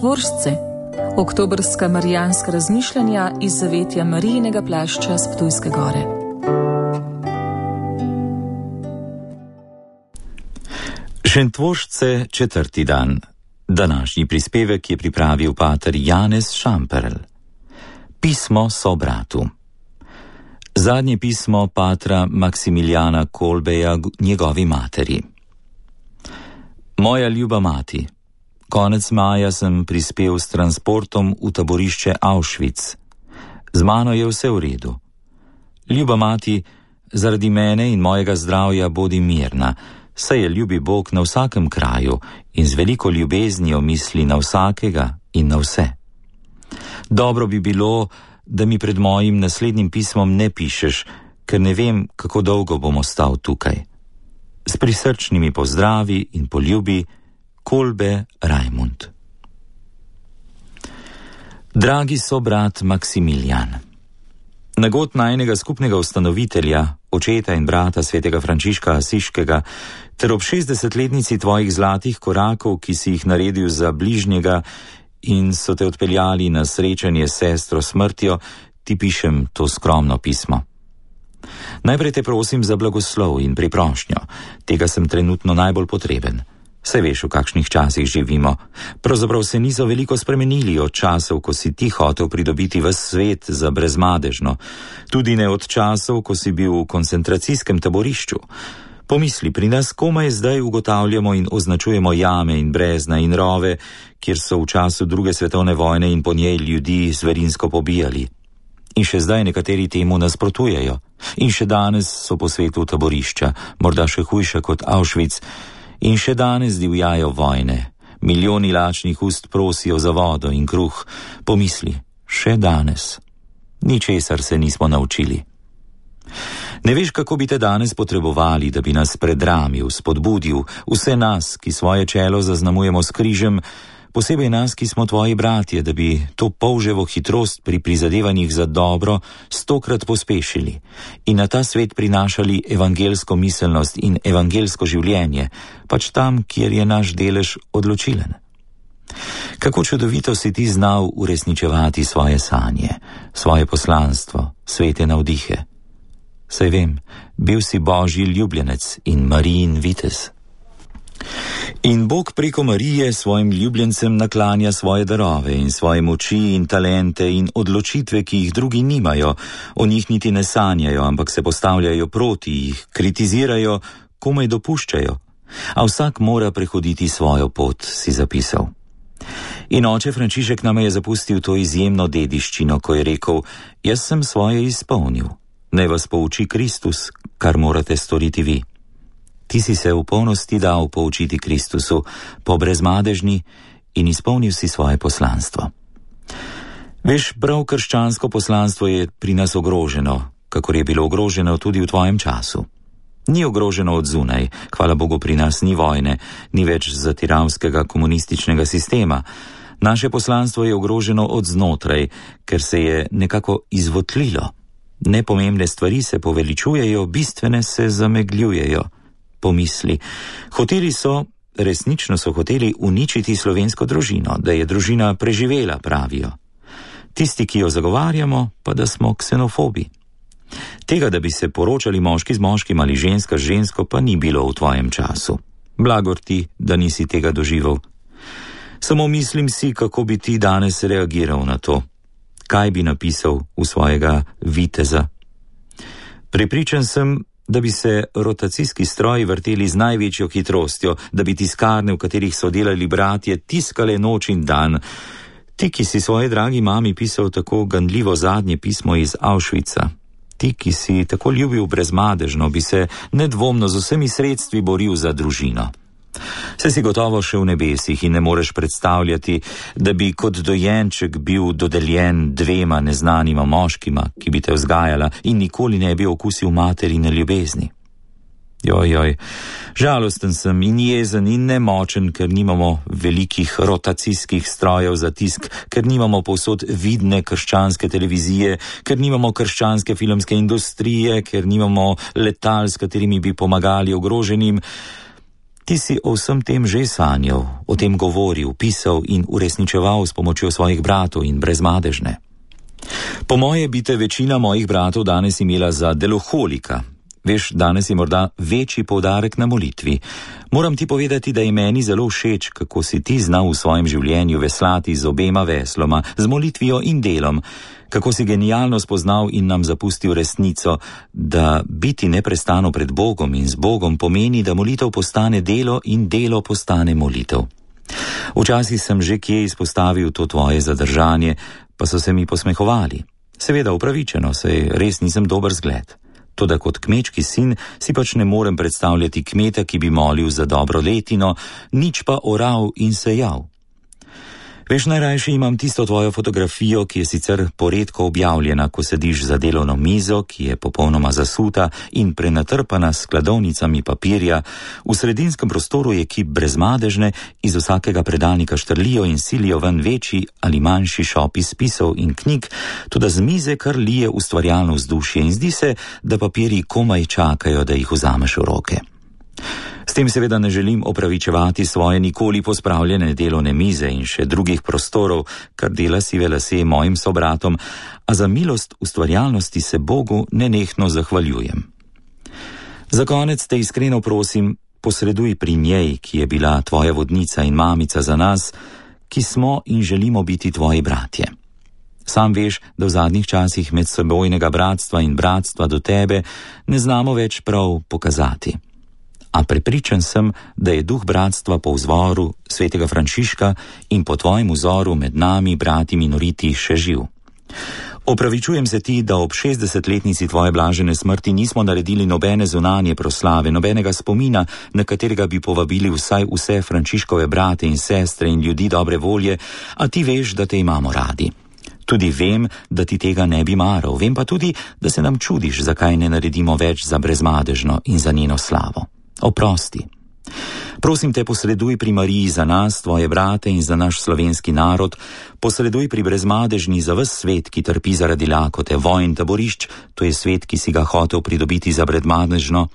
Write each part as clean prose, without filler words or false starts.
Četvoržce, oktobrska marijanska razmišljanja iz zavetja Marijinega plašča s Ptujske gore. Šentvoržce, 4. dan. Današnji prispevek je pripravil pater Janez Šamperl. Pismo sobratu. Zadnje pismo patra Maksimiljana Kolbeja njegovi materi. Moja ljuba mati, konec maja sem prispel s transportom v taborišče Auschwitz. Z mano je vse v redu. Ljuba mati, zaradi mene in mojega zdravja bodi mirna, saj je ljubi Bog na vsakem kraju in z veliko ljubeznijo misli na vsakega in na vse. Dobro bi bilo, da mi pred mojim naslednjim pismom ne pišeš, ker ne vem, kako dolgo bom ostal tukaj. S prisrčnimi pozdravi in poljubi, Kolbe Rajmund. Dragi sobrat Maksimiljan, nagod najnega skupnega ustanovitelja, očeta in brata svetega Frančiška Asiškega, ter ob 60-letnici tvojih zlatih korakov, ki si jih naredil za bližnjega in so te odpeljali na srečanje s sestro smrtjo, ti pišem to skromno pismo. Najprej te prosim za blagoslov in priprošnjo, tega sem trenutno najbolj potreben. Saj veš, v kakšnih časih živimo. Pravzaprav se niso veliko spremenili od časov, ko si ti hotel pridobiti ves svet za brezmadežno, tudi ne od časov, ko si bil v koncentracijskem taborišču. Pomisli, pri nas komaj zdaj ugotavljamo in označujemo jame in brezna in rove, kjer so v času druge svetovne vojne in po njej ljudi zverinsko pobijali. In še zdaj nekateri temu nasprotujejo. In še danes so po svetu taborišča, morda še hujša kot Auschwitz. In še danes divjajo vojne. Milijoni lačnih ust prosijo za vodo in kruh. Pomisli, še danes. Ničesar se nismo naučili. Ne veš, kako bi te danes potrebovali, da bi nas predramil, spodbudil, vse nas, ki svoje čelo zaznamujemo s križem, posebej nas, ki smo tvoji bratje, da bi to polževo hitrost pri prizadevanjih za dobro 100-krat pospešili in na ta svet prinašali evangelsko miselnost in evangelsko življenje, pač tam, kjer je naš delež odločilen. Kako čudovito si ti znal uresničevati svoje sanje, svoje poslanstvo, svete navdihe. Saj vem, bil si Božji ljubljenec in Marijin vitez. In Bog preko Marije svojim ljubljencem naklanja svoje darove in svoje moči in talente in odločitve, ki jih drugi nimajo, o njih niti ne sanjajo, ampak se postavljajo proti jih, kritizirajo, komaj dopuščajo. A vsak mora prehoditi svojo pot, si zapisal. In oče Frančišek nam je zapustil to izjemno dediščino, ko je rekel, jaz sem svoje izpolnil, naj vas pouči Kristus, kar morate storiti vi. Ti si se v polnosti dal poučiti Kristusu, po brezmadežni in izpolnil si svoje poslanstvo. Veš, prav krščansko poslanstvo je pri nas ogroženo, kakor je bilo ogroženo tudi v tvojem času. Ni ogroženo od zunaj, hvala Bogu pri nas ni vojne, ni več zatiravskega komunističnega sistema. Naše poslanstvo je ogroženo od znotraj, ker se je nekako izvotlilo. Nepomembne stvari se poveličujejo, bistvene se zamegljujejo. Pomisli, hoteli so, resnično so hoteli uničiti slovensko družino, da je družina preživela, pravijo. Tisti, ki jo zagovarjamo, pa da smo ksenofobi. Tega, da bi se poročali moški z moškim ali ženska z žensko, pa ni bilo v tvojem času. Blagor ti, da nisi tega doživel. Samo mislim si, kako bi ti danes reagiral na to. Kaj bi napisal v svojega viteza? Prepričan sem, da bi se rotacijski stroji vrteli z največjo hitrostjo, da bi tiskarne, v katerih so delali bratje, tiskale noč in dan. Ti, ki si svoji dragi mami pisal tako ganljivo zadnje pismo iz Auschwitza, ti, ki si tako ljubil brezmadežno, bi se nedvomno z vsemi sredstvi boril za družino. Se si gotovo še v nebesih in ne moreš predstavljati, da bi kot dojenček bil dodeljen 2 neznanima moškima, ki bi te vzgajala in nikoli ne bi okusil materine ljubezni. Joj, žalosten sem in jezen in nemočen, ker nimamo velikih rotacijskih strojev za tisk, ker nimamo povsod vidne krščanske televizije, ker nimamo krščanske filmske industrije, ker nimamo letal, s katerimi bi pomagali ogroženim. Ti si o vsem tem že sanjal, o tem govoril, pisal in uresničeval s pomočjo svojih bratov in brezmadežne. Po moje bi te večina mojih bratov danes imela za deloholika. Veš, danes je morda večji poudarek na molitvi. Moram ti povedati, da je meni zelo všeč, kako si ti znal v svojem življenju veslati z obema vesloma, z molitvijo in delom, kako si genialno spoznal in nam zapustil resnico, da biti neprestano pred Bogom in z Bogom pomeni, da molitev postane delo in delo postane molitev. Včasih sem že kje izpostavil to tvoje zadržanje, pa so se mi posmehovali. Seveda upravičeno, saj res nisem dober zgled. Toda kot kmečki sin si pač ne morem predstavljati kmeta, ki bi molil za dobro letino, nič pa oral in sejal. Veš, najrajše imam tisto tvojo fotografijo, ki je sicer poredko objavljena, ko sediš za delovno mizo, ki je popolnoma zasuta in prenatrpana s skladovnicami papirja. V sredinskem prostoru je kip brezmadežne, iz vsakega predalnika štrlijo in silijo ven večji ali manjši šopi spisov in knjig, tudi z mize kar lije ustvarjalno vzdušje in zdi se, da papirji komaj čakajo, da jih vzameš v roke. S tem seveda ne želim opravičevati svoje nikoli pospravljene delovne mize in še drugih prostorov, kar dela sive lase mojim sobratom, a za milost ustvarjalnosti se Bogu nenehno zahvaljujem. Za konec te iskreno prosim, posreduj pri njej, ki je bila tvoja vodnica in mamica za nas, ki smo in želimo biti tvoji bratje. Sam veš, da v zadnjih časih medsebojnega bratstva in bratstva do tebe ne znamo več prav pokazati. A prepričan sem, da je duh bratstva po vzoru svetega Frančiška in po tvojem vzoru med nami, brati minoriti, še živ. Opravičujem se ti, da ob 60-letnici tvoje blažene smrti nismo naredili nobene zunanje proslave, nobenega spomina, na katerega bi povabili vsaj vse Frančiškove brate in sestre in ljudi dobre volje, a ti veš, da te imamo radi. Tudi vem, da ti tega ne bi maral, vem pa tudi, da se nam čudiš, zakaj ne naredimo več za brezmadežno in za njeno slavo. Oprosti. Prosim te, posreduj pri Mariji za nas, tvoje brate in za naš slovenski narod, posreduj pri brezmadežni za ves svet, ki trpi zaradi lakote, vojn, taborišč, to je svet, ki si ga hotel pridobiti za brezmadežno.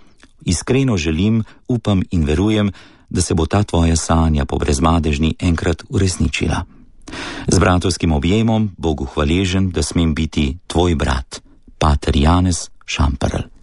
Iskreno želim, upam in verujem, da se bo ta tvoja sanja po brezmadežni enkrat uresničila. Z bratovskim objemom, Bogu hvaležen, da smem biti tvoj brat, pater Janez Šamperl.